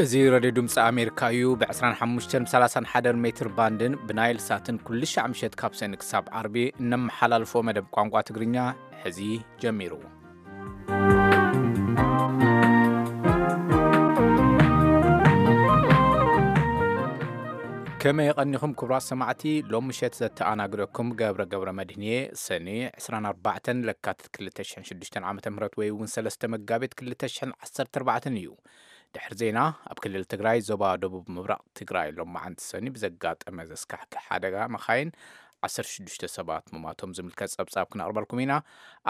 እዚ ሬድዮ ድምፂ ኣሜሪካ እዩ። ብ ዕስራን ሓሙሽተን ብ ሰላሳን ሓደን ሜትር ባንድን ብናይል ሳትን ኩሉ ሻዕ ምሸት ካብ ሰኒ ክሳብ ዓርቢ እነመሓላልፎ መደብ ቋንቋ ትግርኛ ሕዚ ጀሚሩ። ከመይ የቐኒኹም ክቡራት ሰማዕቲ? ሎም ምሸት ዘተኣናግደኩም ገብረ ገብረ መድህንየ። ሰኒ ዕስራን ኣርባዕተን ለካትት ክልተ ሽሕን ሽዱሽተን ዓመተ ምህረት ወይ እውን ሰለስተ መጋቢት ክልተ ሽሕን ዓሰርተ ኣርባዕተን እዩ። ድሕሪ ዜና፣ ኣብ ክልል ትግራይ ዞባ ደቡብ ምብራቕ ትግራይ ሎማዓንቲ ሰኒ ብዘጋጠመ ዘስካሕክሕ ሓደጋ መኻይን ዓሰርተ ሽዱሽተ ሰባት ምማቶም ዝምልከት ጸብጻብ ክነቕርበልኩም ኢና።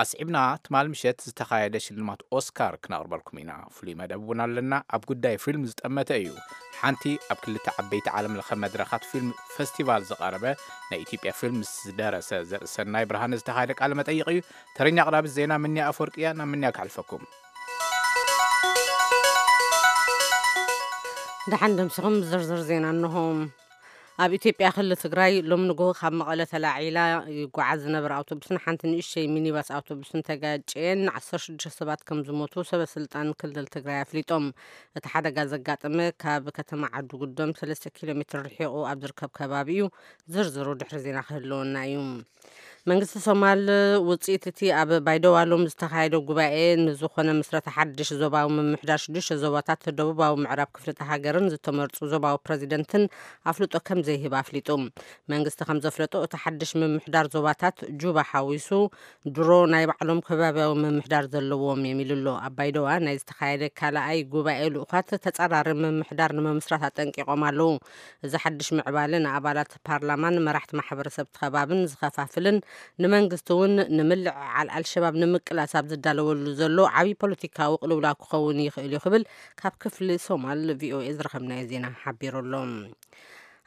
ኣስዒብና ትማል ምሸት ዝተኻየደ ሽልማት ኦስካር ክነቕርበልኩም ኢና። ፍሉይ መደብ እውን ኣለና። ኣብ ጉዳይ ፊልም ዝጠመተ እዩ። ሓንቲ ኣብ ክልተ ዓበይቲ ዓለም ለኸ መድረኻት ፊልም ፈስቲቫል ዝቐረበ ናይ ኢትዮጵያ ፊልም ዝደረሰ ዘርእሰናይ ብርሃነ ዝተኻየደ ቃለ መጠይቕ እዩ። ተረኛ ኣቕራቢ ዜና ምንያ ኣፈወርቂ እያ። ናብ ምንያ ክሕልፈኩም። ደሓን ደምሲኹም ዝርዝር ዜና እንሆ። ኣብ ኢትዮጵያ ክልል ትግራይ ሎም ንግሆ ካብ መቐለ ተላዒላ ይጓዓዝ ዝነበረ ኣውቶቡስን ሓንቲ ንእሽተይ ሚኒባስ ኣውቶቡስን ተጋጭየን ዓሰርተ ሽዱሽተ ሰባት ከም ዝሞቱ ሰበ ስልጣን ክልል ትግራይ ኣፍሊጦም። እቲ ሓደጋ ዘጋጠመ ካብ ከተማ ዓዲ ጉዶም ሰለስተ ኪሎ ሜትር ርሒቑ ኣብ ዝርከብ ከባቢ እዩ። ዝርዝሩ ድሕሪ ዜና ክህልወና እዩ። መንግስቲ ሶማል ውፅኢት እቲ ኣብ ባይደዋ ሎም ዝተኻየደ ጉባኤ ንዝኾነ ምስረታ ሓድሽ ዞባዊ ምምሕዳር ሽዱሽተ ዞባታት ደቡባዊ ምዕራብ ክፍልተ ሃገርን ዝተመርፁ ዞባዊ ፕረዚደንትን ኣፍልጦ ከም ዘይህብ ኣፍሊጡ። መንግስቲ ከም ዘፍለጦ እቲ ሓድሽ ምምሕዳር ዞባታት ጁባ ሓዊሱ ድሮ ናይ ባዕሎም ከባቢያዊ ምምሕዳር ዘለዎም እዮም ኢሉ ኣሎ። ኣብ ባይደዋ ናይ ዝተኻየደ ካልኣይ ጉባኤ ልኡኻት ተፃራሪ ምምሕዳር ንምምስራት ኣጠንቂቖም ኣለዉ። እዚ ሓድሽ ምዕባለ ንኣባላት ፓርላማን መራሕቲ ማሕበረሰብ ከባብን ዝኸፋፍልን ንመንግስቲ እውን ንምልዕዓል ኣልሸባብ ንምቅላስ ኣብ ዝዳለወሉ ዘሎ ዓብዪ ፖለቲካዊ ቅልውላው ክኸውን ይኽእል እዩ ክብል ካብ ክፍሊ ሶማል ቪኦኤ ዝረኸብናዮ ዜና ሓቢሩ ኣሎ።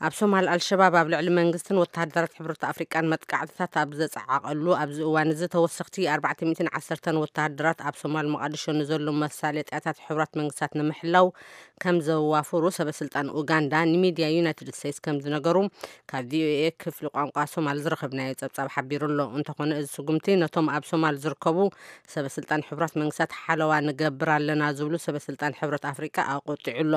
ኣብ ሶማል ኣልሸባብ ኣብ ልዕሊ መንግስትን ወተሃደራት ሕብረት ኣፍሪቃን መጥቃዕትታት ኣብ ዘጸዓቐሉ ኣብዚ እዋን እዚ ተወሰኽቲ ኣርባዕተ ሚእትን ዓሰርተን ወተሃደራት ኣብ ሶማል መቓድሾ ንዘሎ መሳለጥያታት ሕቡራት መንግስታት ንምሕላው ከም ዘዋፍሩ ሰበ ስልጣን ኡጋንዳ ንሚድያ ዩናይትድ ስቴትስ ከም ዝነገሩ ካብ ቪኦኤ ክፍሊ ቋንቋ ሶማል ዝረኸብናዮ ጸብጻብ ሓቢሩ ኣሎ። እንተኾነ እዚ ስጉምቲ ነቶም ኣብ ሶማል ዝርከቡ ሰበ ስልጣን ሕቡራት መንግስታት ሓለዋ ንገብር ኣለና ዝብሉ ሰበ ስልጣን ሕብረት ኣፍሪቃ ኣቆጢዑ ኣሎ።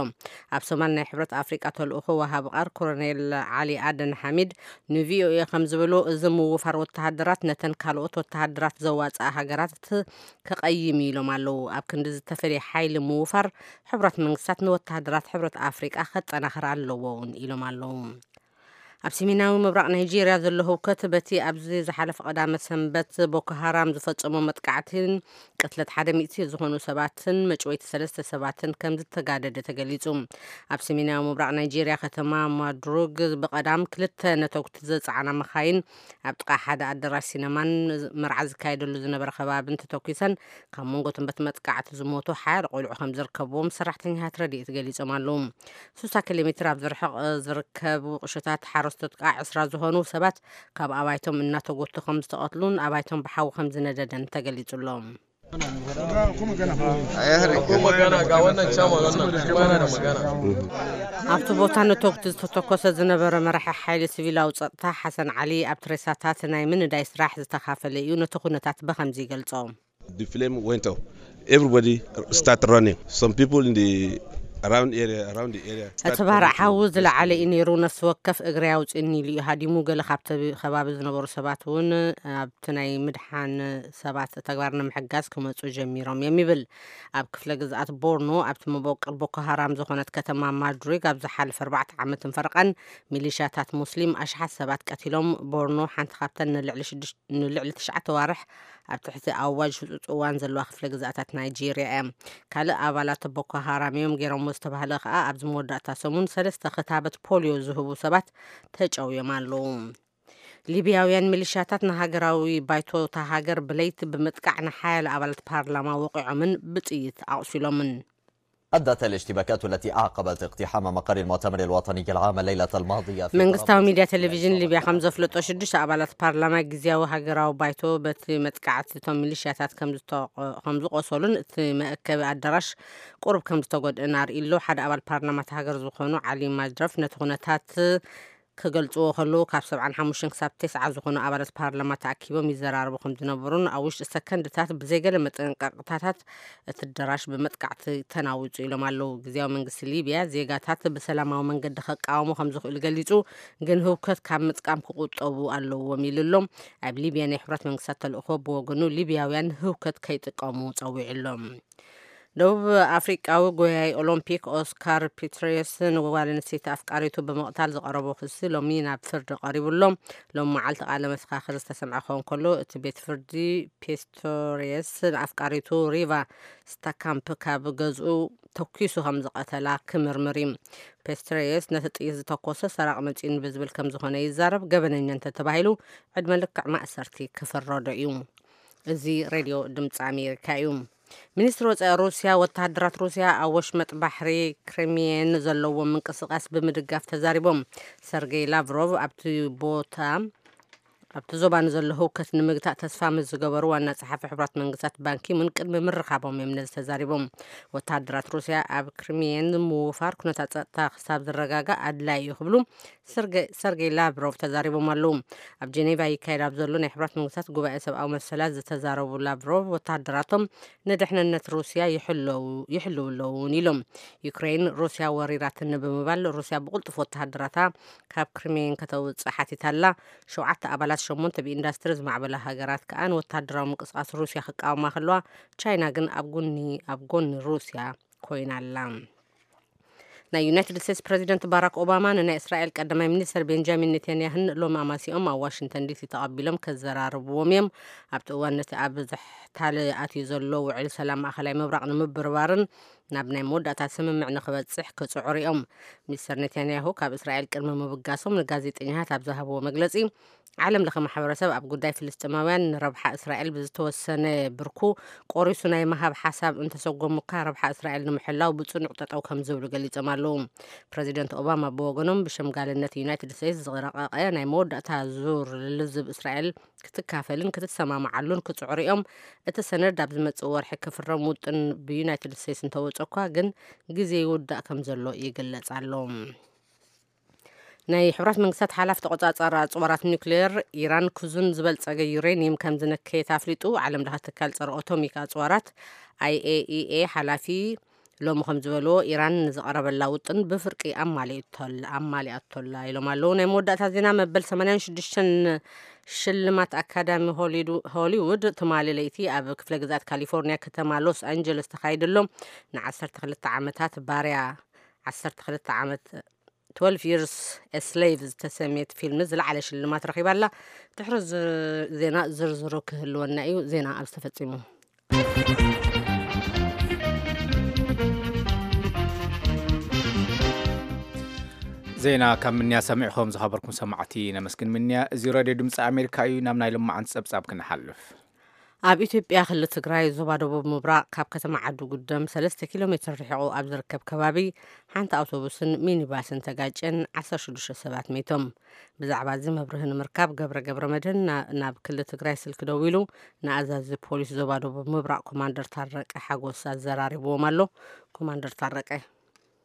ኣብ ሶማል ናይ ሕብረት ኣፍሪቃ ተልእኾ ወሃቢ ቃር ኮሎኔል ዓሊ ኣደን ሓሚድ ንቪኦኤ ከም ዝበሎ እዚ ምውፋር ወተሃደራት ነተን ካልኦት ወተሃደራት ዘዋፅኣ ሃገራት ከቐይም ኢሎም ኣለዉ። ኣብ ክንዲ ዝተፈለየ ሓይሊ ምውፋር ሕቡራት መንግስታት ንወተሃደራት ሕብረት ኣፍሪቃ ከጠናኽር ኣለዎ እውን ኢሎም ኣለዉ። ኣብ ሰሜናዊ ምብራቕ ናይጄርያ ዘሎ ህውከት በቲ ኣብዚ ዝሓለፈ ቀዳመ ሰንበት ቦኮ ሃራም ዝፈጸሞ መጥቃዕትን ቅትለት ሓደ ሚእቲ ዝኾኑ ሰባትን መጭወይቲ ሰለስተ ሰባትን ከም ዝተጋደደ ተገሊጹ። ኣብ ሰሜናዊ ምብራቕ ናይጄርያ ከተማ ማድሩግ ብቐዳም ክልተ ነተጉቲ ዘጸዓና መኻይን ኣብ ጥቓ ሓደ ኣዳራሽ ሲነማን መርዓ ዝካየደሉ ዝነበረ ከባብን ተተኲሰን ካብ መንጎ ትንበት መጥቃዕቲ ዝሞቱ ሓያሎ ቆልዑ ከም ዝርከብዎም ሰራሕተኛታት ረድኤት ገሊጾም ኣለዉ። ስሳ ኪሎ ሜትር ኣብ ዝርሕቕ ዝርከቡ ቁሸታት ሓረስቶት ከዓ ዕስራ ዝኾኑ ሰባት ካብ ኣባይቶም እናተጎቱ ከም ዝተቐትሉን ኣባይቶም ብሓዊ ከም ዝነደደን ተገሊጹ ኣሎ። ኣብቲ ቦታ ነተጉቲ ዝተተኮሰ ዝነበረ መራሒ ሓይሊ ሲቪላዊ ጸጥታ ሓሰን ዓሊ ኣብቲ ሬሳታት ናይ ምንዳይ ስራሕ ዝተኻፈለ እዩ ነቲ ኩነታት ብኸምዚ ይገልጾ። The flame went up. Everybody start running. Some people in the around area, around the area. እቲ ባርዕ ሓዊ ዝለዓለ እዩ ነይሩ። ነፍሲ ወከፍ እግሪ ኣውፅእኒ ኢሉ እዩ ሃዲሙ። ገለ ካብቲ ከባቢ ዝነበሩ ሰባት እውን ኣብቲ ናይ ምድሓን ሰባት ተግባር ንምሕጋዝ ክመፁ ጀሚሮም እዮም ይብል። ኣብ ክፍለ ግዝኣት ቦርኖ ኣብቲ መበቆል ቦኮ ሃራም ዝኾነት ከተማ ማድሪግ ኣብ ዝሓለፈ ኣርባዕተ ዓመትን ፈረቓን ሚሊሻታት ሙስሊም ኣሽሓት ሰባት ቀቲሎም። ቦርኖ ሓንቲ ካብተን ንልዕሊ ሽዱሽተ ንልዕሊ ትሽዓተ ዋርሕ ኣብ ትሕቲ ኣዋጅ ህጹጽ እዋን ዘለዋ ክፍለ ግዝኣታት ናይጄርያ እያ። ካልእ ኣባላት ቦኮ ሃራም እዮም ገይሮምዎ ዝተባህለ ከኣ ኣብዚ መወዳእታ ሰሙን ሰለስተ ክታበት ፖልዮ ዝህቡ ሰባት ተጨውዮም ኣለዉ። ሊብያውያን ሚሊሻታት ንሃገራዊ ባይቶ እታ ሃገር ብለይቲ ብምጥቃዕ ንሓያለ ኣባላት ፓርላማ ወቒዖምን ብጥይት ኣቑሲሎምን። أدت الاشتباكات التي أعقبت اقتحام مقر المؤتمر الوطني العام الليلة الماضية في መንግስታዊ طرابلس ሚድያ ቴሌቪዥን ሊብያ ከም ዘፍለጦ ሽዱሽተ ኣባላት ፓርላማ ግዝያዊ ሃገራዊ ባይቶ በቲ መጥቃዕቲ እቶም ሚሊሽያታት ከም ዝተቆ- ከም ዝቆሰሉን እቲ መእከቢ ኣዳራሽ ቁሩብ ከም ዝተጎድእን ኣርእዩ ኣሎ። ሓደ ኣባል ፓርላማ እታ ሃገር ዝኾኑ ዓሊ ማጅረፍ ነቲ ኩነታት ክገልጽዎ ከለዉ፣ ካብ ሰብዓን ሓሙሽተን ክሳብ ተስዓ ዝኾኑ ኣባላት ፓርላማ ተኣኪቦም ይዘራረቡ ከም ዝነበሩን ኣብ ውሽጢ ሰከንድታት ብዘይገለ መጠንቀቕታታት እቲ ኣዳራሽ ብመጥቃዕቲ ተናዊጹ ኢሎም ኣለዉ። ግዝያዊ መንግስቲ ሊብያ ዜጋታት ብሰላማዊ መንገዲ ከቃወሙ ከም ዝኽእሉ ገሊጹ፣ ግን ህውከት ካብ ምጥቃም ክቁጠቡ ኣለዎም ኢሉ ኣሎ። ኣብ ሊብያ ናይ ሕብረት መንግስታት ተልእኾ ብወገኑ ሊብያውያን ህውከት ከይጥቀሙ ጸዊዑ ኣሎ። ደቡብ ኣፍሪቃዊ ጎያይ ኦሎምፒክ ኦስካር ፒስትሪየስ ንጓል ኣንስተይቲ ኣፍቃሪቱ ብምቕታል ዝቐረቦ ክሲ ሎሚ ናብ ፍርዲ ቀሪቡ ኣሎ። ሎም መዓልቲ ቃለ መሰኻኽር ዝተሰምዐ ክኸውን ከሎ፣ እቲ ቤት ፍርዲ ፒስቶሪየስ ንኣፍቃሪቱ ሪቫ ስታካምፕ ካብ ገዝኡ ተኲሱ ከም ዝቐተላ ክምርምር እዩ። ፒስቶሪየስ ነቲ ጥይት ዝተኮሰ ሰራቕ መጺኡኒ ብዝብል ከም ዝኾነ ይዛረብ። ገበነኛ እንተተባሂሉ ዕድመ ልክዕ ማእሰርቲ ክፍረዶ እዩ። እዚ ሬድዮ ድምፂ ኣሜሪካ እዩ። ሚኒስትሪ ወፃኢ ሩስያ፣ ወተሃደራት ሩስያ ኣብ ወሽመጥ ባሕሪ ክሪሚየን ዘለዎም ምንቅስቃስ ብምድጋፍ ተዛሪቦም። ሰርጌይ ላቭሮቭ ኣብቲ ቦታ ኣብቲ ዞባ ንዘሎ ህውከት ንምግታእ ተስፋ ምስ ዝገበሩ ዋና ጸሓፊ ሕቡራት መንግስታት ባንኪሙን ቅድሚ ምርኻቦም እዮም ነዚ ተዛሪቦም። ወተሃደራት ሩስያ ኣብ ክሪሚየን ምውፋር ኩነታት ጸጥታ ክሳብ ዝረጋጋእ ኣድላይ እዩ ክብሉ ሰርጌ-፣ ሰርጌይ ላቭሮቭ ተዛሪቦም ኣለዉ። ኣብ ጀኔቫ ይካየድ ኣብ ዘሎ ናይ ሕቡራት መንግስታት ጉባኤ ሰብኣዊ መሰላት ዝተዛረቡ ላቭሮቭ፣ ወተሃደራቶም ንድሕንነት ሩስያ ይሕለው-፣ ይሕልው ኣለዉ እውን ኢሎም። ዩክሬን ሩስያ ወሪራትኒ ብምባል፣ ሩስያ ብቕልጡፍ ወተሃደራታ ካብ ክሪሚየን ከተውጽእ ሓቲታ ኣላ። ሸውዓተ ኣባላት ሸሞንተ ብኢንዳስትሪ ዝማዕበላ ሃገራት ከኣ ንወተሃደራዊ ምንቅስቓስ ሩስያ ክቃወማ ከለዋ፣ ቻይና ግን ኣብ ጎኒ፣ ኣብ ጎኒ ሩስያ ኮይና ኣላ። ናይ ዩናይትድ ስቴትስ ፕረዚደንት ባራክ ኦባማ ንናይ እስራኤል ቀዳማይ ሚኒስትር ቤንጃሚን ኔታንያህን ሎሚ ኣማሲኦም ኣብ ዋሽንግተን ዲሲ ተቐቢሎም ከዘራርብዎም እዮም። ኣብቲ እዋን ነቲ ኣብ ዝሕታለ ኣትዩ ዘሎ ውዕል ሰላም ማእኸላይ ምብራቕ ንምብርባርን ናብ ናይ መወዳእታ ስምምዕ ንኽበጽሕ ክጽዕሩ እዮም። ሚስተር ኔታንያሁ ካብ እስራኤል ቅድሚ ምብጋሶም ንጋዜጠኛታት ኣብ ዝሃብዎ መግለጺ፣ ዓለም ለኸ ማሕበረሰብ ኣብ ጉዳይ ፍልስጤማውያን ንረብሓ እስራኤል ብዝተወሰነ ብርኩ ቆሪሱ ናይ ምሃብ ሓሳብ እንተሰጎሙካ፣ ረብሓ እስራኤል ንምሕላው ብጽኑዕ ጠጠው ከም ዝብሉ ገሊጾም ኣለዉ። ፕረዚደንት ኦባማ ብወገኖም፣ ብሸምጋልነት ዩናይትድ ስቴትስ ዝረቐቐ ናይ መወዳእታ ዙር ልዝብ እስራኤል ክትካፈልን ክትሰማምዓሉን ክጽዕሩ እዮም። እቲ ሰነድ ኣብ ዝመጽእ ወርሒ ክፍረም ውጥን ብዩናይትድ ስቴትስ እንተወጸ እኳ ግን ግዜ ይውዳእ ከም ዘሎ ይግለጽ ኣሎ። ናይ ሕቡራት መንግስታት ሓላፊ ተቆጻጻሪ ኣጽዋራት ኒውክሌር ኢራን ክዙን ዝበልጸገ ዩሬኒየም ከም ዝነከየት ኣፍሊጡ። ዓለም ለኸ ትካል ጸረ ኣቶሚክ ኣጽዋራት ኣይኤኢኤ ሓላፊ ሎሚ ከም ዝበልዎ፣ ኢራን ንዝቐረበላ ውጥን ብፍርቂ ኣማሊእቶል-፣ ኣማሊኣቶላ ኢሎም ኣለዉ። ናይ መወዳእታ ዜና፣ መበል ሰማንያን ሽዱሽተን ሽልማት ኣካዳሚ ሆሊዱ-፣ ሆሊውድ ትማሊ ለይቲ ኣብ ክፍለ ግዝኣት ካሊፎርኒያ ከተማ ሎስ ኣንጀለስ ተኻይዱ ኣሎ። ንዓሰርተ ክልተ ዓመታት ባርያ፣ ዓሰርተ ክልተ ዓመት፣ ትወልቭ Years a Slave ዝተሰምየት ፊልም ዝለዓለ ሽልማት ረኺባ ኣላ። ድሕሪ ዝ-፣ ዜና ዝርዝሩ ክህልወና እዩ። ዜና ኣብ ዝተፈጺሙ። ዜና ካብ ምንያ ሰሚዕኹም ዝኸበርኩም ሰማዕቲ ነመስግን። ምንያ፣ እዚ ሬድዮ ድምፂ ኣሜሪካ እዩ። ናብ ናይ ሎማዓንቲ ጸብጻብ ክንሓልፍ። ኣብ ኢትዮጵያ ክልል ትግራይ ዞባ ደቡብ ምብራቕ ካብ ከተማ ዓዲ ጉደም ሰለስተ ኪሎ ሜትር ርሒቑ ኣብ ዝርከብ ከባቢ ሓንቲ ኣውቶቡስን ሚኒባስን ተጋጨን ዓሰርተ ሽዱሽተ ሰባት ሜቶም። ብዛዕባ እዚ መብርሂ ንምርካብ ገብረ ገብረ መድህን ና-፣ ናብ ክልል ትግራይ ስልኪ ደዊሉ ንኣዛዚ ፖሊስ ዞባ ደቡብ ምብራቕ ኮማንደር ታረቀ ሓጎስ ኣዘራሪብዎም ኣሎ። ኮማንደር ታረቀ።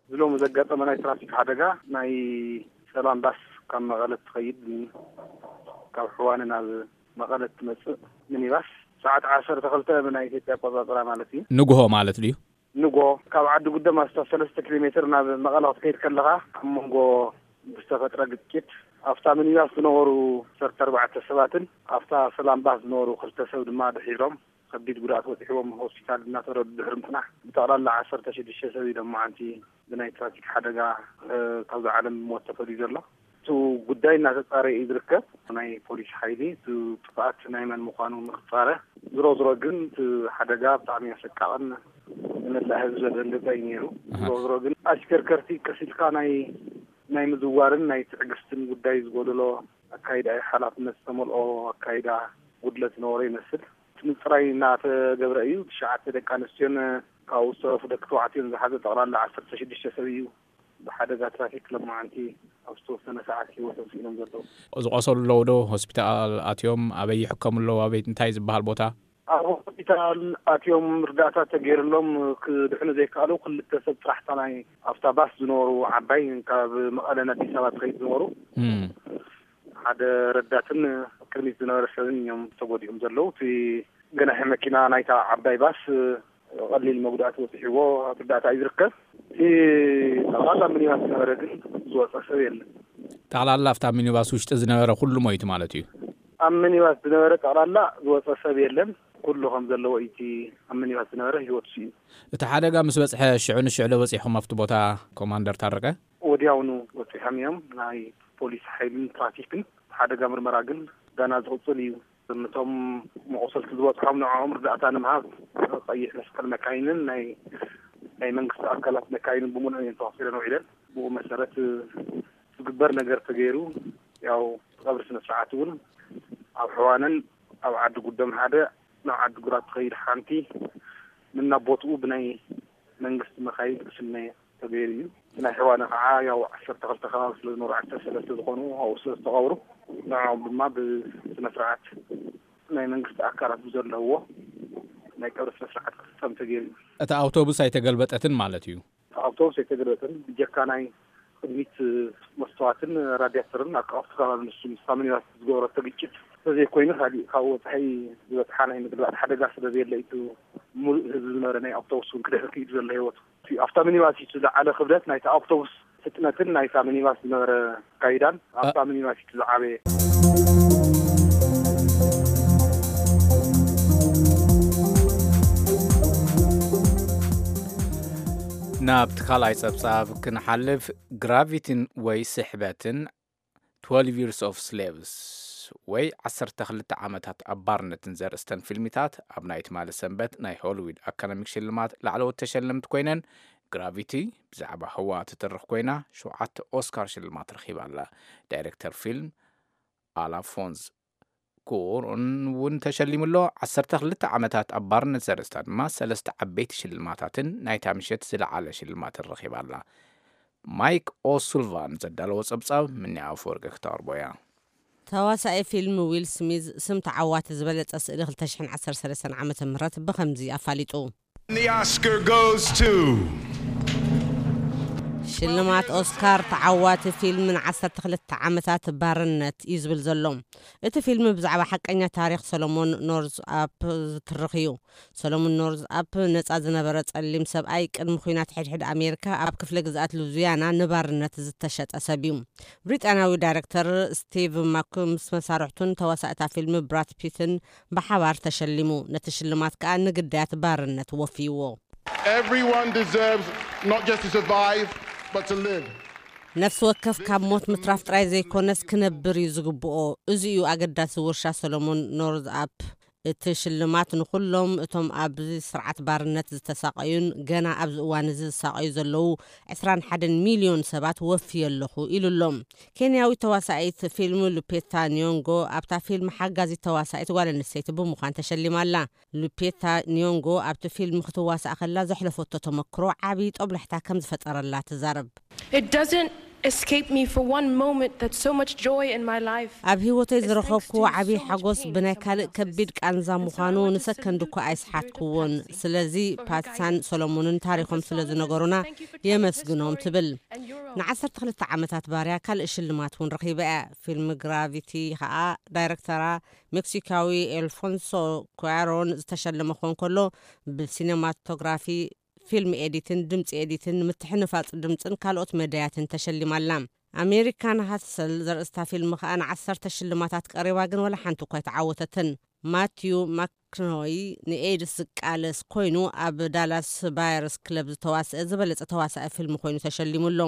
እዚ ሎሚ ዘጋጠመ ናይ ትራፊክ ሓደጋ፣ ናይ ሰላም ባስ ካብ መቐለ ትኸይድ፣ ካብ ሕዋነ ናብ መቐለ ትመጽእ ሚኒባስ፣ ሰዓት ዓሰርተ ክልተ ብናይ ኢትዮጵያ ኣቆጻጽራ ማለት እዩ። ንግሆ ማለት ድዩ? ንግሆ ካብ ዓዲ ጉደም ኣስታት ሰለስተ ኪሎ ሜትር ናብ መቐለ ክትከይድ ከለኻ፣ ኣብ መንጎ ብዝተፈጥረ ግጭት፣ ኣብታ ሚኒባስ ዝነበሩ ዓሰርተ ኣርባዕተ ሰባትን ኣብታ ሰላም ባስ ዝነበሩ ክልተ ሰብ ድማ ድሒሮም ከቢድ ጉድኣት በፂሕዎም ሆስፒታል እናተረዱ ድሕሪ ምፅናሕ፣ ብጠቕላላ ዓሰርተ ሽዱሽተ ሰብ እዩ ሎማዓንቲ ብናይ ትራፊክ ሓደጋ፣ እ፣ ካብዚ ዓለም ብሞት ተፈልዩ ዘሎ። እቲ ጉዳይ እናተፃረየ እዩ ዝርከብ። ናይ ፖሊስ ሓይሊ እቲ ጥፍኣት ናይ መን ምዃኑ ንክፃረ፣ ዝሮ ዝሮ ግን እቲ ሓደጋ ብጣዕሚ ኣሰቃቕን ንመላእ ህዝቢ ዘደንገፀ እዩ ነይሩ። ኣሃ። ዝሮ ዝሮ ግን ኣሽከርከርቲ ቀስ ኢልካ ናይ፣ ናይ ምዝዋርን ናይ ትዕግስትን ጉዳይ ዝጎደሎ ኣካይዳ እዩ። ሓላፍነት ዝተመልኦ ኣካይዳ ጉድለት ዝነበሮ ይመስል። እቲ ምፅራይ እናተገብረ እዩ። ትሽዓተ ደቂ ኣንስትዮን ካብኡ ዝተረፉ ደቂ ተባዕትዮን ዝሓዘ ጠቕላላ ዓሰርተ ሽዱሽተ ሰብ እዩ ብሓደጋ ትራፊክ ሎማዓንቲ ኣብ ዝተወሰነ ሰዓት ህይወቶም ስኢኖም ዘለዉ። ዝቆሰሉ ኣለዉ ዶ? ሆስፒታል ኣትዮም? ኣበይ ይሕከሙ ኣለዉ? ኣበይ፣ እንታይ ዝበሃል ቦታ? ኣብ ሆስፒታል ኣትዮም ርዳእታ ተገይርሎም ክድሕኑ ዘይከኣሉ ክልተ ሰብ ጥራሕ፣ እታ ናይ ኣብታ ባስ ዝነበሩ ዓባይ ካብ መቐለ ናብ ኣዲስ ኣበባ ትኸይድ ዝነበሩ እም። ሓደ ረዳትን ቅድሚት ዝነበረ ሰብን እዮም ተጎዲኦም ዘለዉ። እቲ ገናሒ መኪና ናይታ ዓባይ ባስ ቀሊል መጉዳእቲ በፂሕዎ ኣብ ርዳእታ እዩ ዝርከብ። እቲ ጠቕላላ ሚኒባስ ዝነበረ ግን ዝወፀ ሰብ የለን። ጠቕላላ ኣብታ ሚኒባስ ውሽጢ ዝነበረ ኩሉ ሞይቱ ማለት እዩ? ኣብ ሚኒባስ ዝነበረ ጠቕላላ ዝወፀ ሰብ የለን። ኩሉ ከም ዘለዎ እዩ። እቲ ኣብ ሚኒባስ ዝነበረ ህይወቱ ስኢኑ። እቲ ሓደጋ ምስ በፅሐ ሽዑ ንሽዑ ዶ በፂሕኹም ኣብቲ ቦታ ኮማንደር ታረቀ? ወዲያውኑ በፂሖም እዮም። ናይ ፖሊስ ሓይልን ትራፊክን ሓደጋ ምርመራ ግን ገና ዝቕፅል እዩ። ነቶም መቑሰልቲ ዝበፅሖም ንዕኦም ርዳእታ ንምሃብ ቀይሕ መስቀል መካይንን ናይ ናይ መንግስቲ ኣካላት መካይንን ብምሉእ እየን ተዋፊረን ውዒለን። ብኡ መሰረት ዝግበር ነገር ተገይሩ፣ ያው ቀብሪ ስነ ስርዓት እውን ኣብ ሕዋነን ኣብ ዓዲ ጉደም ሓደ ናብ ዓዲ ግራት ትኸይድ ሓንቲ ንናቦትኡ ብናይ መንግስቲ መካይን ክስነ ተገይሩ እዩ። ናይ ሕዋነ ከዓ ያው ዓሰርተ ክልተ ከባቢ ስለ ዝነበሩ ዓሰርተ ሰለስተ ዝኾኑ ኣብኡ ስለ ዝተቐብሩ ንዕኦም ድማ ብስነ ስርዓት ናይ መንግስቲ ኣካላት ብዘለውዎ ናይ ቀብሪ ስነ ስርዓት ክፍፀም ተገይሩ እዩ። እታ ኣውቶቡስ ኣይተገልበጠትን ማለት እዩ? እታ ኣውቶቡስ ኣይተገልበጠትን። ብጀካ ናይ ቅድሚት መስተዋትን ራዲያተርን ኣቃውቲ ከባቢ ንሱ ምስታ ሚኒባስ ዝገበረቶ ግጭት ተዘይኮይኑ ካሊእ ካብኡ ወፃኢ ዝበፅሓ ናይ ምግልባጥ ሓደጋ ስለ ዘየለ እዩ። እቲ ሙሉእ ህዝቢ ዝነበረ ናይ ኣውቶቡስ እውን ክድሕር ክኢሉ ዘሎ ህይወቱ። ኣብታ ሚኒባስ እዩ ዝለዓለ ክብደት ናይታ ኣውቶቡስ ፍጥነትን ናይታ ሚኒባስ ዝነበረ ኣካይዳን ኣብታ ሚኒባስ እዩ ዝዓበየ። ናብ እቲ ካልኣይ ጸብጻብ ክንሓልፍ፣ ግራቪቲን ወይ ስሕበትን፣ twelve Years of Slaves ወይ ዓሰርተ ክልተ ዓመታት ኣብ ባርነትን ዘርእስተን ፊልሚታት ኣብ ናይ ትማሊ ሰንበት ናይ ሆሊውድ ኣካደሚክ ሽልማት ላዕለዎት ተሸለምቲ ኮይነን፣ ግራቪቲ ብዛዕባ ህዋ ትትርኽ ኮይና ሸውዓተ ኦስካር ሽልማት ረኺባ ኣላ። ዳይሬክተር ፊልም ኣላፎንስ ኩኦሮን እውን ተሸሊሙ ኣሎ። ዓሰርተ ክልተ ዓመታት ኣብ ባርነት ዘርእስታ ድማ ሰለስተ ዓበይቲ ሽልማታትን ናይታ ምሸት ዝለዓለ ሽልማትን ረኺባ ኣላ። ማይክ ኦሱልቫን ዘዳለዎ ጸብጻብ ምንያ ኣፈወርቂ ክተቕርቦ እያ። ተዋሳኢ ፊልም ዊል ስሚዝ ስም ተዓዋቲ ዝበለጸ ስእሊ ክልተ ሽሕን ዓሰርተ ሰለስተን ዓመተ ምህረት ብኸምዚ ኣፋሊጡ። And the Oscar goes to ሽልማት ኦስካር ተዓዋቲ ፊልም ን ዓሰርተ ክልተ ዓመታት ባርነት እዩ ዝብል ዘሎ። እቲ ፊልም ብዛዕባ ሓቀኛ ታሪኽ ሰሎሞን ኖርዝ ኣፕ ዝትርኽ እዩ። ሰሎሞን ኖርዝ ኣፕ ነጻ ዝነበረ ጸሊም ሰብኣይ ቅድሚ ኲናት ሕድሕድ ኣሜሪካ ኣብ ክፍለ ግዝኣት ሉዚያና ንባርነት ዝተሸጠ ሰብ እዩ። ብሪጣንያዊ ዳይረክተር ስቲቭ ማክ ምስ መሳርሕቱን ተዋሳእታ ፊልም ብራድ ፒትን ብሓባር ተሸሊሙ። ነቲ ሽልማት ከኣ ንግዳያት ባርነት ወፍይዎ። Everyone deserves not just to survive, but to live. ነፍሲ ወከፍ ካብ ሞት ምትራፍ ጥራይ ዘይኮነስ ክነብር እዩ ዝግብኦ። እዚ እዩ ኣገዳሲ ውርሻ ሰሎሞን ኖርዝ ኣፕ። እቲ ሽልማት ንኹሎም እቶም ኣብዚ ስርዓት ባርነት ዝተሳቐዩን ገና ኣብዚ እዋን እዚ ዝሳቐዩ ዘለዉ ዕስራን ሓደን ሚልዮን ሰባት ወፍየ ኣለኹ ኢሉ ኣሎ። ኬንያዊት ተዋሳኢት ፊልም ሉፔታ ኒዮንጎ ኣብታ ፊልም ሓጋዚት ተዋሳኢት ጓል ኣንስተይቲ ብምዃን ተሸሊማ ኣላ። ሉፔታ ኒዮንጎ ኣብቲ ፊልም ክትዋሳእ ከላ ዘሕለፈቶ ተመክሮ ዓቢ ጦብላሕታ ከም ዝፈጠረላ ትዛረብ። It doesn't escape me for one moment that so much joy in my life ኣብ ህይወተይ ዝረኸብኩዎ ዓቢ ሓጎስ ብናይ ካልእ ከቢድ ቃንዛ ምዃኑ ንሰከንድ እኳ ኣይስሓትኩዎን። ስለዚ ፓትሳን ሰሎሞንን ታሪኾም ስለ ዝነገሩና የመስግኖም ትብል። ንዓሰርተ ክልተ ዓመታት ባርያ ካልእ ሽልማት እውን ረኺባ እያ። ፊልም ግራቪቲ ኸኣ ዳይረክተራ ሜክሲካዊ ኤልፎንሶ ኩያሮን ዝተሸለመ ክኾን ከሎ፣ ብሲኔማቶግራፊ፣ ፊልም ኤዲትን ድምፂ ኤዲትን፣ ምትሕንፋፅ ድምፅን ካልኦት መዳያትን ተሸሊማ ኣላ። ኣሜሪካን ሃሰል ዘርእስታ ፊልም ከኣ ንዓሰርተ ሽልማታት ቀሪባ፣ ግን ወላ ሓንቲ እኳ ኣይተዓወተትን። ማቲዩ ማክኖይ ንኤድስ ዝቃለስ ኮይኑ ኣብ ዳላስ ባየርስ ክለብ ዝተዋስአ ዝበለጸ ተዋሳኢ ፊልም ኮይኑ ተሸሊሙ ኣሎ።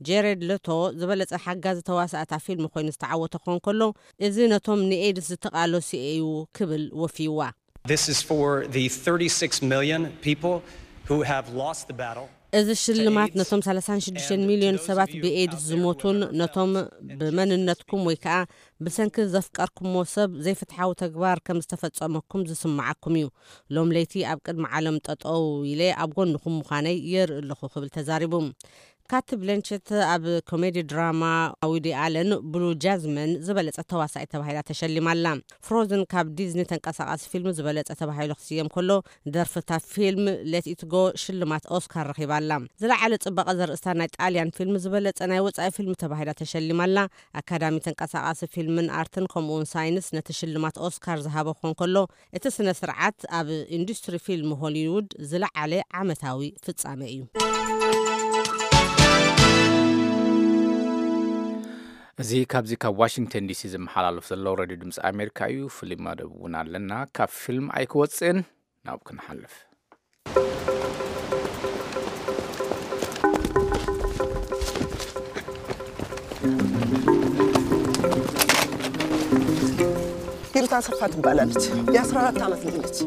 ጄሬድ ለቶ ዝበለጸ ሓጋዚ ተዋሳእታ ፊልም ኮይኑ ዝተዓወተ ክኾን ከሎ፣ እዚ ነቶም ንኤድስ ዝተቃለሱ እዩ ክብል ወፍይዋ። This is for the thirty-six million people who have lost the battle. እዚ ሽልማት ነቶም ሰላሳን ሽዱሽተን ሚልዮን ሰባት ብኤድስ ዝሞቱን ነቶም ብመንነትኩም ወይ ከኣ ብሰንኪ ዘፍቀርኩሞ ሰብ ዘይፍትሓዊ ተግባር ከም ዝተፈጸመኩም ዝስምዓኩም እዩ። ሎም ለይቲ ኣብ ቅድሚ ዓለም ጠጠው ኢለ ኣብ ጎንኹም ምዃነይ የርኢ ኣለኹ ክብል ተዛሪቡ። ካት ብለንቸት ኣብ ኮሜዲ ድራማ ዊዲ ኣለን ብሉ ጃዝመን ዝበለጸት ተዋሳኢት ተባሂላ ተሸሊማ ኣላ። ፍሮዝን ካብ ዲዝኒ ተንቀሳቓሲ ፊልም ዝበለጸ ተባሂሉ ክስየም ከሎ፣ ደርፍታ ፊልም ሌት ኢት ጎ ሽልማት ኦስካር ረኺባ ኣላ። ዝለዓለ ጽባቐ ዘርእስታ ናይ ጣልያን ፊልም ዝበለጸ ናይ ወጻኢ ፊልም ተባሂላ ተሸሊማ ኣላ። ኣካዳሚ ተንቀሳቓሲ ፊልምን ኣርትን ከምኡውን ሳይንስ ነቲ ሽልማት ኦስካር ዝሃበ ክኾን ከሎ፣ እቲ ስነ ስርዓት ኣብ ኢንዱስትሪ ፊልም ሆሊውድ ዝለዓለ ዓመታዊ ፍጻመ እዩ። እዚ ካብዚ ካብ ዋሽንግተን ዲሲ ዝመሓላለፍ ዘሎ ሬድዮ ድምፂ ኣሜሪካ እዩ። ፍሉይ መደብ እውን ኣለና። ካብ ፊልም ኣይክወፅእን፣ ናብ ክንሓልፍ። ሂሩት ኣሰፋ ትባላለች። የ14 ዓመት ልጅ ነች።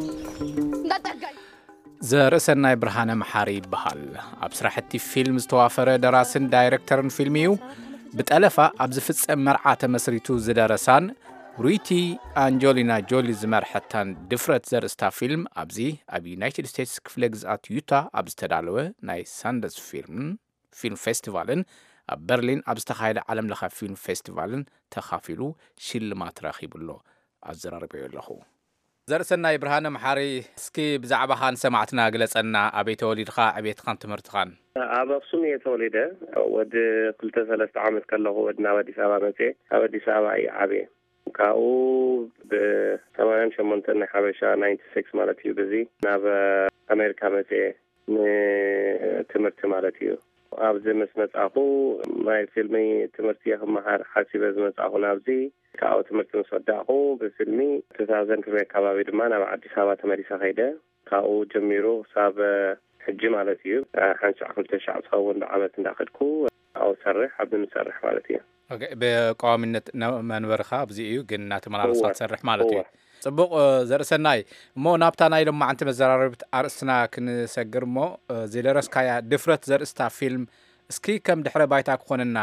ዘርእሰናይ ብርሃነ መሓሪ ይበሃል። ኣብ ስራሕቲ ፊልም ዝተዋፈረ ደራስን ዳይረክተርን ፊልም እዩ። ብጠለፋ ኣብ ዝፍጸም መርዓ ተመስሪቱ ዝደረሳን ሩይቲ ኣንጆሊና ጆሊ ዝመርሐታን ድፍረት ዘርእስታ ፊልም ኣብዚ ኣብ ዩናይትድ ስቴትስ ክፍለ ግዝኣት ዩታ ኣብ ዝተዳለወ ናይ ሳንደስ ፊልም ፊልም ፌስቲቫልን ኣብ በርሊን ኣብ ዝተኻየደ ዓለም ለኸ ፊልም ፌስቲቫልን ተኻፊሉ ሽልማት ረኺቡ ኣሎ። ኣዘራርበዮ ኣለኹ። ዘርእሰናይ ብርሃነ መሓሪ፣ እስኪ ብዛዕባኻ ንሰማዕትና ግለጸና። ኣበይ ተወሊድኻ? ዕቤትኻን ትምህርትኻን? ኣብ ኣክሱም እየ ተወሊደ። ወዲ ክልተ ሰለስተ ዓመት ከለኹ ወዲ ናብ ኣዲስ ኣበባ መፅየ። ኣብ ኣዲስ ኣበባ እየ ዓብየ። ካብኡ ብሰማንያን ሸሞንተን ናይ ሓበሻ ናይንቲ ሲክስ ማለት እዩ። ብዚ ናብ ኣሜሪካ መፅየ ንትምህርቲ ማለት እዩ። ኣብዚ ምስ መፃኹ ናይ ፊልሚ ትምህርቲ እየ ክመሃር ሓሲበ ዝመፃኹ ናብዚ። ካብኡ ትምህርቲ ምስ ወዳእኹ ብፊልሚ ቱ ታውዘንድ ቱ ኣካባቢ ድማ ናብ ኣዲስ ኣበባ ተመሊሰ ከይደ። ካብኡ ጀሚሩ ክሳብ ሕጂ ማለት እዩ ሓንሻዕ ክልተ ሻዕ ዝኸውን ብዓመት እንዳኸድኩ ኣብኡ ሰርሕ ኣብዚ ንሰርሕ ማለት እዩ። ብቀዋሚነት መንበርኻ ኣብዚ እዩ፣ ግን እናተመላለስካ ትሰርሕ ማለት እዩ። ጽቡቕ። ዘርእሰናይ፣ እሞ ናብታ ናይ ሎማዓንቲ መዘራረብት ኣርእስትና ክንሰግር እሞ ዝደረስካያ ድፍረት ዘርእስታ ፊልም እስኪ ከም ድሕረ ባይታ ክኾነና፣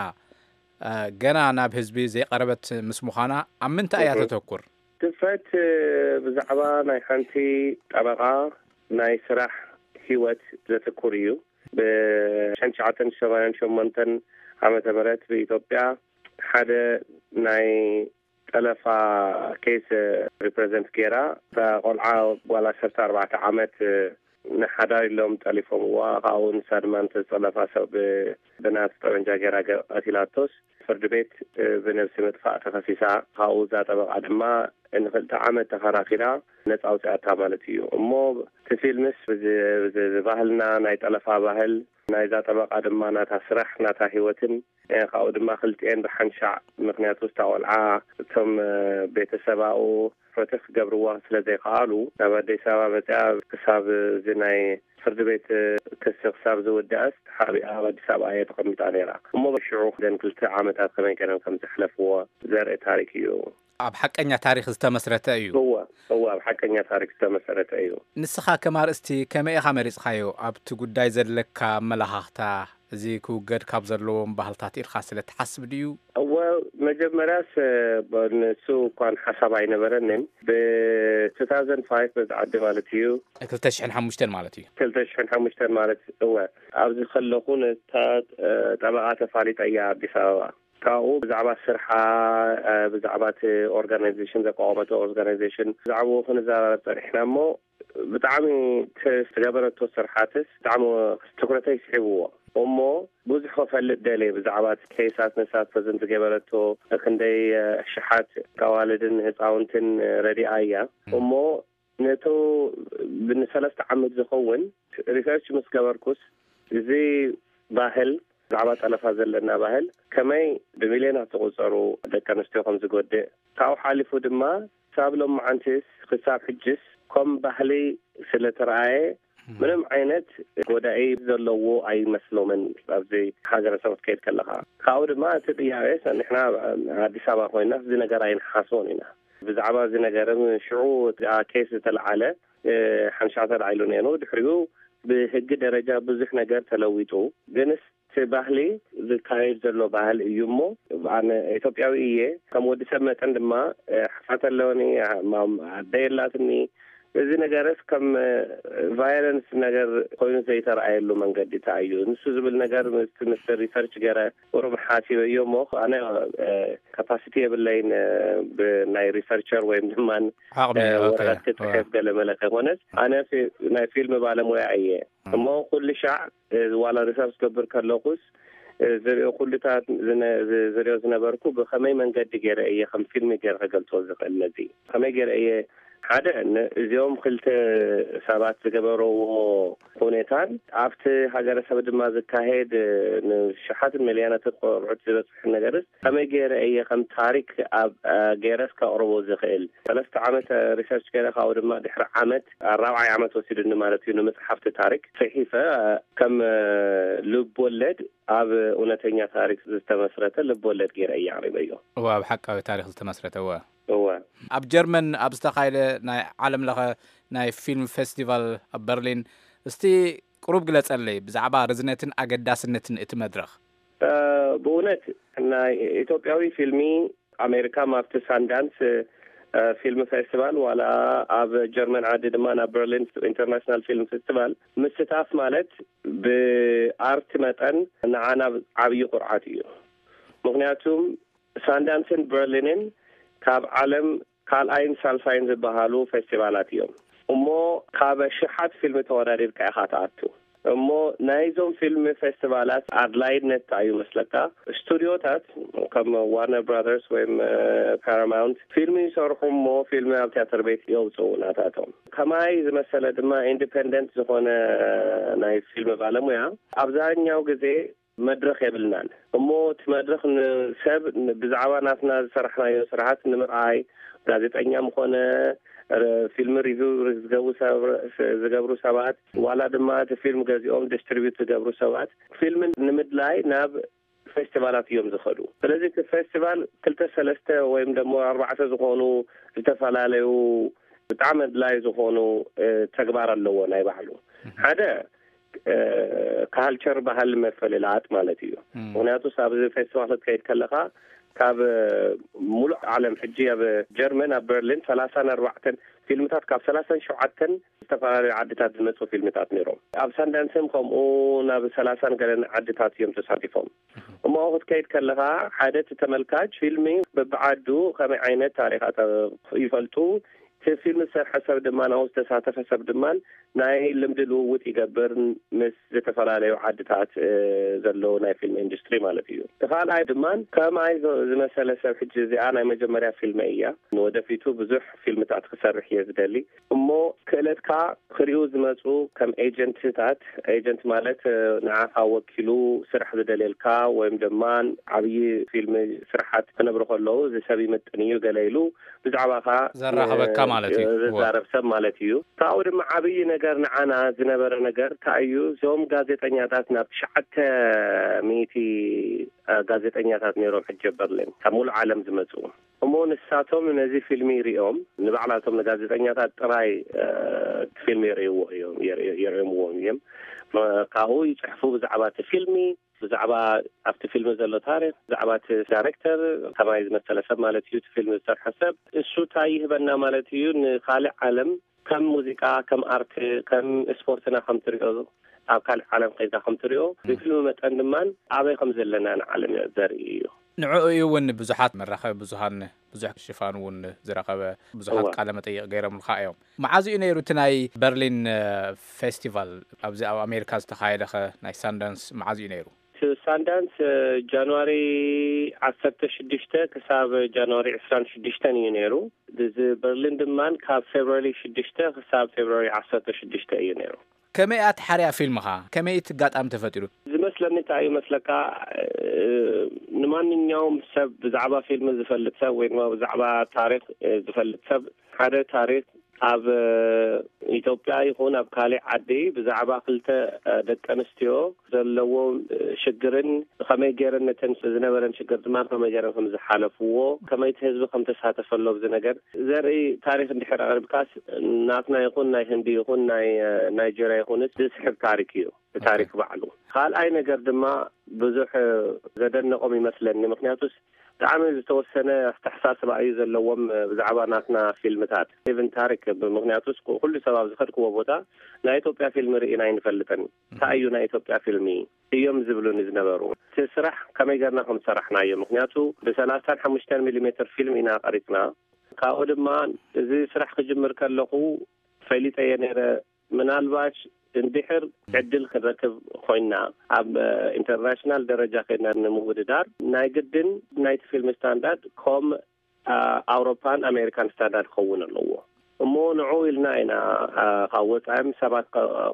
ገና ናብ ህዝቢ ዘይቀረበት ምስ ምዃና ኣብ ምንታይ እያ ተተኩር? ድፍረት ብዛዕባ ናይ ሓንቲ ጠበቓ ናይ ስራሕ ህይወት ዘትኩር እዩ። ብሸንሸዓተን ሸማንያን ሸሞንተን ዓመተ ምህረት ብኢትዮጵያ ሓደ ናይ ጠለፋ ኬስ ሪፕሬዘንት ገይራ። እታ ቆልዓ ጓል ዓሰርተ ኣርባዕተ ዓመት ንሓዳር ኢሎም ጠሊፎምዋ። ካብኡ ንሳ ድማ ንተዝጠለፋ ሰብ ብናት ጠበንጃ ገይራ ቀቲላቶስ ፍርዲ ቤት ብነብሲ ምጥፋእ ተኸሲሳ። ካብኡ እዛ ጠበቓ ድማ ንክልተ ዓመት ተኸራኪራ ነፃ ኣውፅኣታ ማለት እዩ። እሞ እቲ ፊልምስ ብባህልና ናይ ጠለፋ ባህል ናይዛ ጠበቓ ድማ ናታ ስራሕ ናታ ህይወትን ካብኡ ድማ ክልቲኤን ብሓንሻዕ ምክንያቱ እታ ቆልዓ እቶም ቤተሰባኡ ፍትሕ ክገብርዋ ስለ ዘይከኣሉ ናብ ኣዲስ ኣበባ መፅያ ክሳብ እዚ ናይ ፍርዲ ቤት ክሲ ክሳብ ዝውዳእስ ተሓቢኣ ኣብ ኣዲስ ኣበባ እየ ተቐሚጣ ነይራ። እሞ ሽዑ ክደን ክልተ ዓመታት ከመይ ገይረን ከም ዘሕለፍዎ ዘርኢ ታሪክ እዩ። ኣብ ሓቀኛ ታሪክ ዝተመስረተ እዩ። እወ እወ ኣብ ሓቀኛ ታሪክ ዝተመሰረተ እዩ። ንስኻ ከም ኣርእስቲ ከመይ ኢኻ መሪጽኻዮ? ኣብቲ ጉዳይ ዘለካ ኣመላኻኽታ እዚ ክውገድ ካብ ዘለዎም ባህልታት ኢልካ ስለ ትሓስብ ድዩ? እወ መጀመርያስ ንሱ እኳን ሓሳብ ኣይነበረንን። ብ ቱ ታውዘንድ ፋይቭ በዚ ዓዲ ማለት እዩ። ክልተ ሽሕን ሓሙሽተን ማለት እዩ። ክልተ ሽሕን ሓሙሽተን ማለት እወ ኣብዚ ከለኹ ነታ ጠበቓ ተፋሊጠያ ኣዲስ ኣበባ። ካብኡ ብዛዕባ ስርሓ ብዛዕባ እቲ ኦርጋናይዜሽን ዘቋቋመቶ ኦርጋናይዜሽን ብዛዕባኡ ክንዘራረብ ፀኒሕና እሞ ብጣዕሚ ዝገበረቶ ስርሓትስ ብጣዕሚ ትኩረተይ ስሒብዎ እሞ ብዙሕ ክፈልጥ ደልየ ብዛዕባ እቲ ኬሳት ንሳ ፕረዘንት ዝገበረቶ ክንደይ ሽሓት ኣዋልድን ህፃውንትን ረዲኣ እያ እሞ ነቶ ንሰለስተ ዓመት ዝኸውን ሪሰርች ምስ ገበርኩስ እዚ ባህል ብዛዕባ ጠለፋ ዘለና ባህል ከመይ ብሚልዮናት ዝቑፀሩ ደቂ ኣንስትዮ ከም ዝጎድእ ካብኡ ሓሊፉ ድማ ክሳብ ሎማዓንቲስ ክሳብ ሕጅስ ከም ባህሊ ስለተረኣየ ምንም ዓይነት ጎዳኢ ዘለዎ ኣይመስሎምን። ኣብዚ ሃገረሰብ ክትከይድ ከለኻ ካብኡ ድማ እቲ ጥያቄ ንሕና ኣዲስ ኣበባ ኮይና እዚ ነገር ኣይንሓስቦን ኢና። ብዛዕባ እዚ ነገር ሽዑ ኬስ ዝተለዓለ ሓንሻዕ ተላዒሉ ነይሩ። ድሕሪኡ ብህጊ ደረጃ ብዙሕ ነገር ተለዊጡ። ግንስ እቲ ባህሊ ዝካየድ ዘሎ ባህል እዩ እሞ ኣነ ኢትዮጵያዊ እየ። ከም ወዲ ሰብ መጠን ድማ ሓፋት ኣለወኒ፣ ኣደ የላትኒ፣ እዚ ነገርስ ከም ቫይለንስ ነገር ኮይኑ ዘይተረኣየሉ መንገዲ እንታይ እዩ? ንሱ ዝብል ነገር ምስ ምስ ሪሰርች ገረ ቁሩብ ሓሲበዮ እሞ ኣነ ካፓሲቲ የብለይን ብናይ ሪሰርቸር ወይም ድማ ዓቕሚ ወረቀት ክፅሕፍ ገለ መለ ከይኮነስ ኣነ ናይ ፊልም ባለሙያ እየ። እሞ ኩሉ ሻዕ ዋላ ሪሰርች ገብር ከለኩስ ዝሪኦ ኩሉታት ዝሪኦ ዝነበርኩ ብኸመይ መንገዲ ገይረ እየ ከም ፊልሚ ገይረ ከገልፆ ዝኽእል? ነዚ ከመይ ገይረ እየ ሓደ እዚኦም ክልተ ሰባት ዝገበረዎ ሁኔታን ኣብቲ ሃገረሰብ ድማ ዝካሄድ ንሽሓትን ሚልዮናትን ቆርዑት ዝበፅሕ ነገርስ ከመይ ገይረ እየ ከም ታሪክ ኣብ ገይረስ ከቕርቦ ዝኽእል? ሰለስተ ዓመት ሪሰርች ገይረ ካብኡ ድማ ድሕሪ ዓመት ኣራብዓይ ዓመት ወሲዱኒ ማለት እዩ ንምፅሓፍቲ ታሪክ ፅሒፈ ከም ልብ ወለድ ኣብ እውነተኛ ታሪክ ዝተመስረተ ልብ ወለድ ገይረ እየ ኣቕሪበዮ። እወ ኣብ ሓቃዊ ታሪክ ዝተመስረተ እወ እወ ኣብ ጀርመን ኣብ ዝተኻየደ ናይ ዓለም ለኸ ናይ ፊልም ፌስቲቫል ኣብ በርሊን እስቲ ቅሩብ ግለጸለይ ብዛዕባ ርዝነትን ኣገዳስነትን እቲ መድረኽ። ብእውነት ናይ ኢትዮጵያዊ ፊልሚ ኣሜሪካ ኣብቲ ሳንዳንስ ፊልም ፌስቲቫል ዋላ ኣብ ጀርመን ዓዲ ድማ ናብ በርሊን ኢንተርናሽናል ፊልም ፌስቲቫል ምስታፍ ማለት ብኣርት መጠን ንዓና ዓብዪ ኩርዓት እዩ። ምክንያቱም ሳንዳንስን በርሊንን ካብ ዓለም ካልኣይን ሳልሳይን ዝበሃሉ ፌስቲቫላት እዮም። እሞ ካብ ሽሓት ፊልም ተወዳዲርካ ኢኻ ትኣቱ። እሞ ናይዞም ፊልም ፌስቲቫላት ኣድላይነት እንታይ እዩ መስለካ? ስቱዲዮታት ከም ዋርነር ብራዘርስ ወይም ፓራማውንት ፊልም ይሰርሑ እሞ ፊልም ኣብ ቲያትር ቤት የውፅኡ ናታቶም። ከማይ ዝመሰለ ድማ ኢንዲፔንደንት ዝኾነ ናይ ፊልም ባለሙያ ኣብዛኛው ግዜ መድረኽ የብልናን። እሞ እቲ መድረኽ ንሰብ ብዛዕባ ናትና ዝሰራሕናዮ ስራሓት ንምርኣይ ጋዜጠኛ ምኾነ ፊልም ሪቪው ዝገብሩ ሰባት ዋላ ድማ እቲ ፊልም ገዚኦም ዲስትሪቢዩት ዝገብሩ ሰባት ፊልም ንምድላይ ናብ ፌስቲቫላት እዮም ዝኸዱ። ስለዚ እቲ ፌስቲቫል ክልተ ሰለስተ ወይም ደሞ ኣርባዕተ ዝኾኑ ዝተፈላለዩ ብጣዕሚ ኣድላይ ዝኾኑ ተግባር ኣለዎ ናይ ባዕሉ። ሓደ ካልቸር ባህል መፈልላኣት ማለት እዩ። ምክንያቱ ኣብዚ ፌስቲቫል ክትከይድ ከለካ ካብ ሙሉእ ዓለም ሕጂ ኣብ ጀርመን ኣብ በርሊን ሰላሳን ኣርባዕተን ፊልምታት ካብ ሰላሳን ሸውዓተን ዝተፈላለዩ ዓድታት ዝመፁ ፊልምታት ነይሮም። ኣብ ሳንዳንስም ከምኡ ናብ ሰላሳን ገለን ዓድታት እዮም ተሳቲፎም። እሞ ክትከይድ ከለካ ሓደ እቲ ተመልካች ፊልሚ በብዓዱ ከመይ ዓይነት ታሪኻት ይፈልጡ እቲ ፊልም ዝሰርሐ ሰብ ድማ ናብኡ ዝተሳተፈ ሰብ ድማ ናይ ልምዲ ልውውጥ ይገብር ምስ ዝተፈላለዩ ዓድታት ዘለዉ ናይ ፊልም ኢንዱስትሪ ማለት እዩ። እቲ ካልኣይ ድማ ከማይ ዝመሰለ ሰብ ሕጂ እዚኣ ናይ መጀመርያ ፊልመይ እያ። ንወደፊቱ ብዙሕ ፊልምታት ክሰርሕ እየ ዝደሊ እሞ ክእለትካ ክሪኡ ዝመፁ ከም ኤጀንትታት ኤጀንት ማለት ንዓኻ ወኪሉ ስራሕ ዝደልየልካ ወይም ድማ ዓብዪ ፊልም ስራሓት ክነብሩ ከለዉ እዚ ሰብ ይምጥን እዩ ገለ ኢሉ ብዛዕባኻ ዘራኸበካ ማለት እዩ። ዝዛረብ ሰብ ማለት እዩ። ካብኡ ድማ ዓብዪ ነገር ንዓና ዝነበረ ነገር እንታይ እዩ? እዞም ጋዜጠኛታት ናብ ትሽዓተ ሚእቲ ጋዜጠኛታት ነይሮም ሕጂ በርሊን ካብ ሙሉእ ዓለም ዝመፁ እሞ ንሳቶም ነዚ ፊልሚ ሪኦም ንባዕላቶም ንጋዜጠኛታት ጥራይ እቲ ፊልሚ የርእይዎ እዮም የርእዮምዎም እዮም። ካብኡ ይፅሕፉ ብዛዕባ እቲ ፊልሚ ብዛዕባ ኣብቲ ፊልሚ ዘሎ ታሪክ ብዛዕባ እቲ ዳይሬክተር ከማይ ዝመሰለ ሰብ ማለት እዩ እቲ ፊልም ዝሰርሐ ሰብ እሱ እንታይ ይህበና ማለት እዩ ንካሊእ ዓለም ከም ሙዚቃ ከም ኣርት ከም ስፖርትና ከም ትሪኦ ኣብ ካልእ ዓለም ከይድካ ከም ትሪኦ ብፊልሚ መጠን ድማ ኣበይ ከም ዘለና ንዓለም ዘርኢ እዩ። ንዕኡ እዩ እውን ብዙሓት መራኸቢ ብዙሃን ብዙሕ ሽፋን እውን ዝረኸበ ብዙሓት ቃለ መጠይቕ ገይሮምልካ እዮም። መዓዝ እዩ ነይሩ እቲ ናይ በርሊን ፌስቲቫል ኣብዚ ኣብ ኣሜሪካ ዝተኻየደኸ ናይ ሳንዳንስ መዓዝ እዩ ነይሩ? ሳንዳንስ ጃንዋሪ ዓሰርተ ሽዱሽተ ክሳብ ጃንዋሪ ዕስራን ሽዱሽተን እዩ ነይሩ። እዚ በርሊን ድማ ካብ ፌብሪ ሽዱሽተ ክሳብ ፌብሪ ዓሰርተ ሽዱሽተ እዩ ነይሩ። ከመይ እያ ትሓርያ ፊልምኻ? ከመይ እቲ ኣጋጣሚ ተፈጢሩ? ዝመስለኒ እንታይ እዩ መስለካ ንማንኛውም ሰብ ብዛዕባ ፊልም ዝፈልጥ ሰብ ወይ ድማ ብዛዕባ ታሪክ ዝፈልጥ ሰብ ሓደ ታሪክ ኣብ ኢትዮጵያ ይኹን ኣብ ካሊእ ዓዲ ብዛዕባ ክልተ ደቂ ኣንስትዮ ዘለዎ ሽግርን ከመይ ገይረን ነተን ዝነበረን ሽግር ድማ ከመይ ገይረን ከም ዝሓለፍዎ ከመይ እቲ ህዝቢ ከም ተሳተፈ ኣሎ ኣብዚ ነገር ዘርኢ ታሪክ እንድሕር ኣቅሪብካስ ናትና ይኹን ናይ ህንዲ ይኹን ናይ ናይጀርያ ይኹንስ ዝስሕብ ታሪክ እዩ። ታሪክ ባዕሉ ካልኣይ ነገር ድማ ብዙሕ ዘደነቆም ይመስለኒ። ምክንያቱስ ብጣዕሚ ዝተወሰነ ኣተሓሳስባ እዩ ዘለዎም ብዛዕባ ናትና ፊልምታት። ኢቭን ታሪክ፣ ምክንያቱ ኩሉ ሰብ ኣብ ዝኸድክዎ ቦታ ናይ ኢትዮጵያ ፊልም ርኢና ኣይንፈልጥን። እንታይ እዩ ናይ ኢትዮጵያ ፊልሚ እዮም ዝብሉኒ ዝነበሩ። እቲ ስራሕ ከመይ ገርና ከም ዝሰራሕናዮ፣ ምክንያቱ ብ35 ሚሊሜትር ፊልም ኢና ቀሪፅና። ካብኡ ድማ እዚ ስራሕ ክጅምር ከለኹ ፈሊጠየ ነይረ። ምናልባሽ እንድሕር ዕድል ክንረክብ ኮይና ኣብ ኢንተርናሽናል ደረጃ ኮይና ንምውድዳር ናይ ግድን ናይቲ ፊልም ስታንዳርድ ከም ኣውሮፓን ኣሜሪካን ስታንዳርድ ክኸውን ኣለዎ። እሞ ንዑ ኢልና ኢና ካብ ወፃኢም ሰባት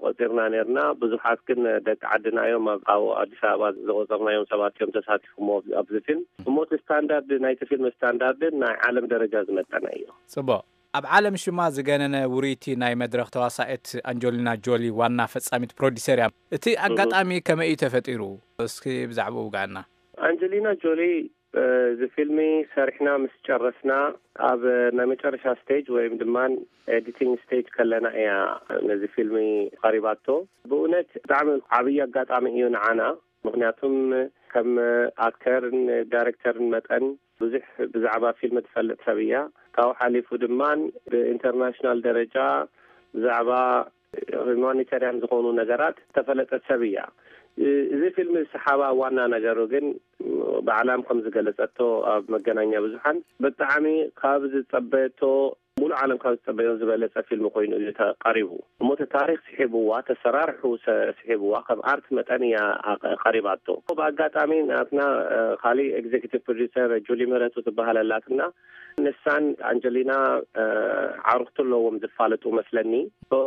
ቆፂርና ነርና። ብዙሓት ግን ደቂ ዓድና እዮም። ኣብ ኣዲስ ኣበባ ዝቆፀርናዮም ሰባት እዮም ተሳቲፎሞ ኣብዚ ፊልም። እሞ እቲ ስታንዳርድ ናይቲ ፊልም ስታንዳርድን ናይ ዓለም ደረጃ ዝመጠነ እዩ። ፅቡቅ። ኣብ ዓለም ሽማ ዝገነነ ውርይቲ ናይ መድረኽ ተዋሳኤት ኣንጀሊና ጆሊ ዋና ፈጻሚት ፕሮዲሰር እያ። እቲ ኣጋጣሚ ከመይ እዩ ተፈጢሩ? እስኪ ብዛዕባኡ ውጋና። ኣንጀሊና ጆሊ እዚ ፊልሚ ሰሪሕና ምስ ጨረስና ኣብ ናይ መጨረሻ ስቴጅ ወይም ድማ ኤዲቲንግ ስቴጅ ከለና እያ ነዚ ፊልሚ ቀሪባቶ። ብእውነት ብጣዕሚ ዓብዪ ኣጋጣሚ እዩ ንዓና። ምክንያቱም ከም ኣክተርን ዳይሬክተርን መጠን ብዙሕ ብዛዕባ ፊልም ትፈልጥ ሰብ እያ። ካብኡ ሓሊፉ ድማ ብኢንተርናሽናል ደረጃ ብዛዕባ ሂማኒታርያን ዝኾኑ ነገራት ዝተፈለጠት ሰብ እያ። እዚ ፊልም ዝሰሓባ ዋና ነገሩ ግን ባዕላም ከም ዝገለጸቶ ኣብ መገናኛ ብዙሓን ብጣዕሚ ካብ ዝጸበየቶ፣ ሙሉእ ዓለም ካብ ዝጸበዮ ዝበለጸ ፊልም ኮይኑ እዩ ተቐሪቡ። እሞ እቲ ታሪክ ስሒብዋ፣ ተሰራርሑ ስሒብዋ ከም ኣርት መጠን እያ ቀሪባቶ። ብኣጋጣሚ ናትና ካሊእ ኤግዜኪቲቭ ፕሮዲሰር ጁሊ ምህረቱ ትበሃል ኣላትና። ንሳን ኣንጀሊና ዓርክቲ ኣለዎም ዝፋለጡ መስለኒ።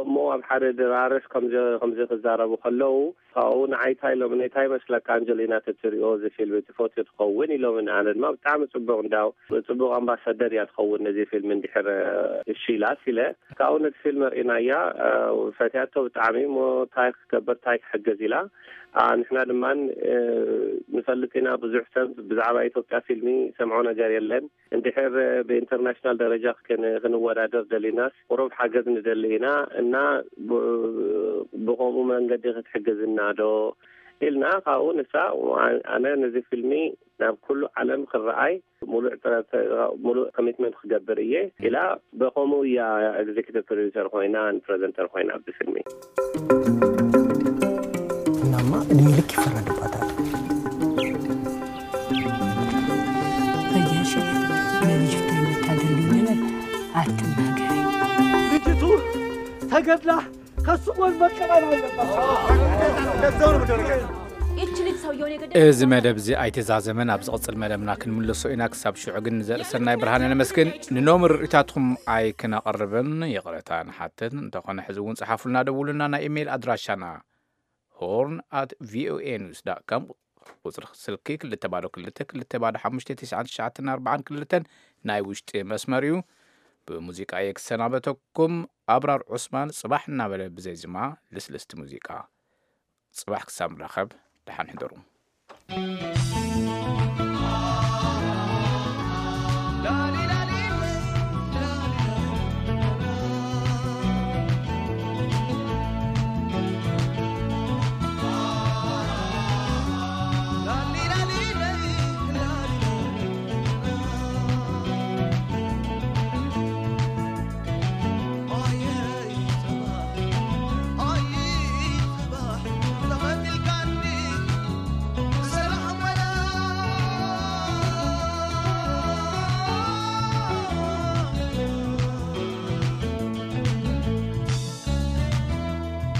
እሞ ኣብ ሓደ ድራርስ ከምዚ ከምዚ ክዛረቡ ከለዉ ካብኡ ንዓይ እንታይ ኢሎምኒ፣ እንታይ ይመስለካ ኣንጀሊና ተትሪኦ እዚ ፊልም ትፈትዮ ትኸውን ኢሎምኒ። ኣነ ድማ ብጣዕሚ ጽቡቕ፣ እንዳው ጽቡቕ ኣምባሳደር እያ ትኸውን ነዚ ፊልም እንድሕር እሺ ኢላስ ኢለ። ካብኡ ነቲ ፊልም ርኢናያ፣ ፈትያቶ ብጣዕሚ። እሞ እንታይ ክገብር እንታይ ክሕገዝ ኢላ። ንሕና ድማ ንፈልጥ ኢና ብዙሕ ሰብ ብዛዕባ ኢትዮጵያ ፊልሚ ሰምዖ ነገር የለን። እንድሕር ብኢንተርናሽናል ደረጃ ክንወዳደር ደሊናስ ቁሩብ ሓገዝ ንደሊ ኢና እና ብከምኡ መንገዲ ክትሕግዝና ዶ ኢልና። ካብኡ ንሳ ኣነ ነዚ ፊልሚ ናብ ኩሉ ዓለም ክረኣይ ሙሉእ ጥረት ሙሉእ ኮሚትመንት ክገብር እየ ኢላ። ብከምኡ እያ ኤግዜኪቲቭ ፕሮዲሰር ኮይና ፕረዘንተር ኮይና ኣብዚ ፊልሚ። ቡናማ እድሜ ልክ ይፈረድባታል። በጃሽት ለልጅ ፍታይ መታደል ነገር አትናገሪ። ልጅቱ ተገድላ ከሱ ጎን መቀበል አለባት። ይች ልጅ ሰውየውን የገደ እዚ መደብ እዚ ኣይተዛዘመን። ኣብ ዝቕጽል መደብና ክንምለሶ ኢና። ክሳብ ሽዑ ግን ንዘርእሰናይ ብርሃነ ነመስግን። ንኖም ርእይታትኩም ኣይክነቕርብን ይቕረታ ንሓተት። እንተኾነ ሕዚ እውን ጽሓፉልና፣ ደውሉና። ናይ ኢሜይል ኣድራሻና ሆርን ኣት ቪኦኤ ኒውስ ዳት ኮም፣ ቁጽሪ ስልኪ ክልተ ባዶ ክልተ ክልተ ባዶ ሓሙሽተ ትሽዓን ትሽዓተን ኣርባዓን ክልተን ናይ ውሽጢ መስመር እዩ። ብሙዚቃ እየ ክሰናበተኩም። ኣብራር ዑስማን ጽባሕ እናበለ ብዘይ ዝማ ልስልስቲ ሙዚቃ። ጽባሕ ክሳብ ንራኸብ ደሓን ሕደሩ።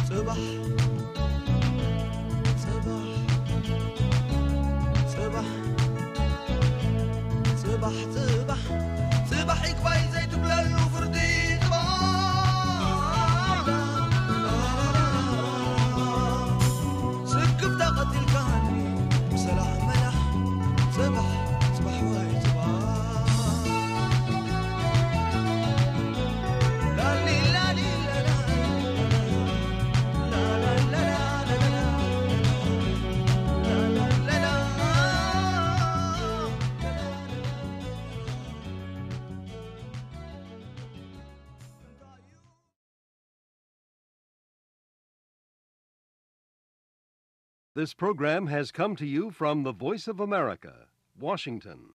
ጽባሕ ጽባሕ ጽባሕ ጽባሕ ጽባሕ ጽባሕ ይግባይ ዘይትብለሉ ፍርዲ ጽባሕ ስክፍታ ቀቲልካኒ ብሰላሕ መላሕ ጽባሕ ጽባሕ ወይ ጽባሕ This program has come to you from the Voice of America, Washington.